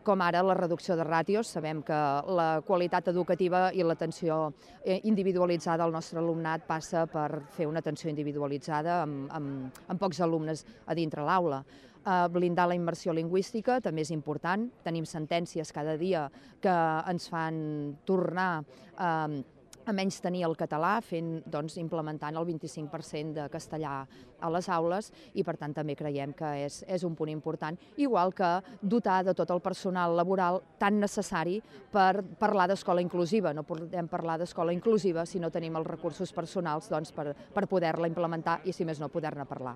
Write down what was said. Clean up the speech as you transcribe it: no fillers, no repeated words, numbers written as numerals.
com ara la reducció de ràtios. Sabem que la qualitat educativa i l'atenció individualitzada al nostre alumnat passa per fer una atenció individualitzada amb pocs alumnes a dintre l'aula. Blindar la immersió lingüística també és important. Tenim sentències cada dia que ens fan tornar a menys tenir el català, implementant el 25% de castellà a les aules, i per tant també creiem que és un punt important, igual que dotar de tot el personal laboral tan necessari per parlar d'escola inclusiva. No podem parlar d'escola inclusiva si no tenim els recursos personals per poder-la implementar i, si més no, poder-ne parlar.